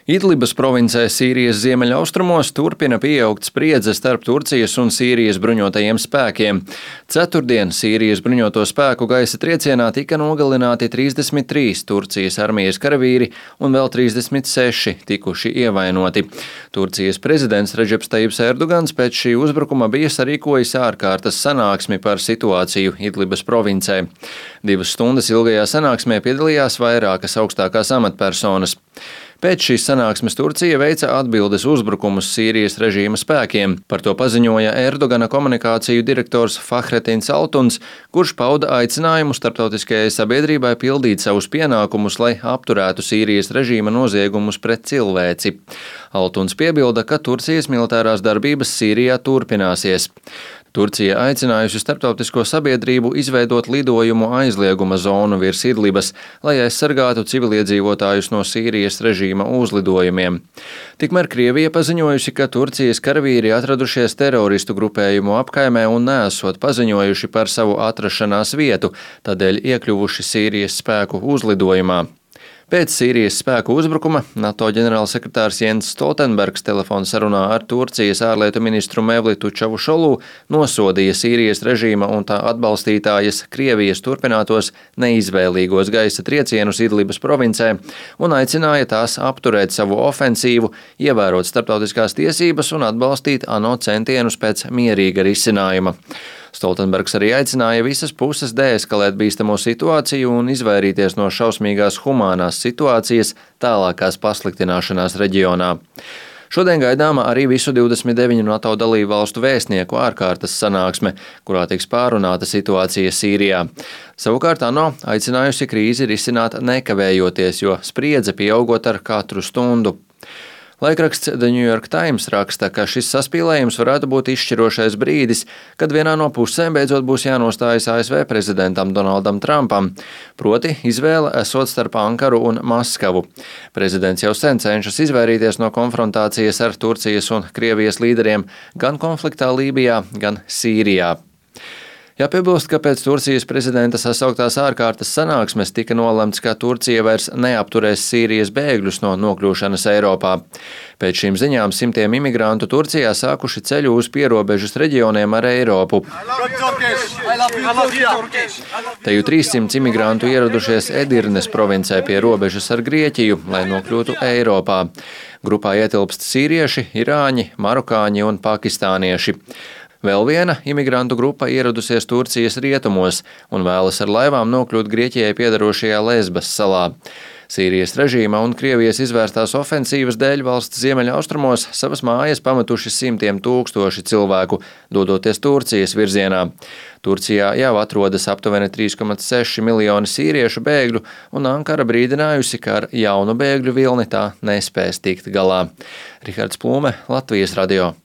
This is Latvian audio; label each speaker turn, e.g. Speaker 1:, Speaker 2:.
Speaker 1: Idlibas provincē Sīrijas ziemeļaustrumos turpina pieaugt spriedze starp Turcijas un Sīrijas bruņotajiem spēkiem. Ceturtdien Sīrijas bruņoto spēku gaisa triecienā tika nogalināti 33 Turcijas armijas karavīri un vēl 36 tikuši ievainoti. Turcijas prezidents Redžeps Tajibs Erdogans pēc šī uzbrukuma bija sarīkojis ārkārtas sanāksmi par situāciju Idlibas provincē. 2 stundas ilgajā sanāksmē piedalījās vairākas augstākās amatpersonas. Pēc šīs sanāksmes Turcija veica atbildes uzbrukumus Sīrijas režīma spēkiem. Par to paziņoja Erdogana komunikāciju direktors Fahretins Altuns, kurš pauda aicinājumu starptautiskajai sabiedrībai pildīt savus pienākumus, lai apturētu Sīrijas režīma noziegumus pret cilvēci. Altuns piebilda, ka Turcijas militārās darbības Sīrijā turpināsies. Turcija aicinājusi starptautisko sabiedrību izveidot lidojumu aizlieguma zonu virs Idlibas, lai aizsargātu civiliedzīvotājus no Sīrijas režīma uzlidojumiem. Tikmēr Krievija paziņojusi, ka Turcijas karavīri atradušies teroristu grupējumu apkaimē un neesot paziņojuši par savu atrašanās vietu, tādēļ iekļuvuši Sīrijas spēku uzlidojumā. Pēc Sīrijas spēku uzbrukuma NATO ģenerālsekretārs Jens Stoltenbergs telefonsarunā ar Turcijas ārlietu ministru Mevlitu Čavušolu nosodīja Sīrijas režīma un tā atbalstītājas Krievijas turpinātos neizvēlīgos gaisa triecienus Idlibas provincē un aicināja tās apturēt savu ofensīvu, ievērot starptautiskās tiesības un atbalstīt ANO centienus pēc mierīga risinājuma. Stoltenbergs arī aicināja visas puses deeskalēt bīstamo situāciju un izvairīties no šausmīgās humānās situācijas tālākās pasliktināšanās reģionā. Šodien gaidāma arī visu 29 NATO dalību valstu vēstnieku ārkārtas sanāksme, kurā tiks pārunāta situācija Sīrijā. Savukārt ANO aicinājusi krīzi risināt nekavējoties, jo spriedze pieaugot ar katru stundu. Laikraksts The New York Times raksta, ka šis saspīlējums varētu būt izšķirošais brīdis, kad vienā no pusēm beidzot būs jānostājas ASV prezidentam Donaldam Trumpam, proti izvēle esot starp Ankaru un Maskavu. Prezidents jau sen cenšas izvairīties no konfrontācijas ar Turcijas un Krievijas līderiem gan konfliktā Lībijā, gan Sīrijā. Jāpiebilst, ka pēc Turcijas prezidenta sasauktās ārkārtas sanāksmes tika nolemts, ka Turcija vairs neapturēs Sīrijas bēgļus no nokļūšanas Eiropā. Pēc šīm ziņām simtiem imigrantu Turcijā sākuši ceļu uz pierobežas reģioniem ar Eiropu. Te jau 300 imigrantu ieradušies Edirnes provincē pie robežas ar Grieķiju, lai nokļūtu Eiropā. Grupā ietilpst sīrieši, irāņi, marokāņi un pakistānieši. Vēl viena imigrantu grupa ieradusies Turcijas rietumos un vēlas ar laivām nokļūt Grieķijai piederošajā Lesbas salā. Sīrijas režīma un Krievijas izvērstās ofensīvas dēļ valsts ziemeļaustrumos savas mājas pametuši simtiem tūkstoši cilvēku, dodoties Turcijas virzienā. Turcijā jau atrodas aptuveni 3,6 miljoni sīriešu bēgļu, un Ankara brīdinājusi, ka ar jaunu bēgļu vilni tā nespēs tikt galā. Rihards Plūme, Latvijas radio.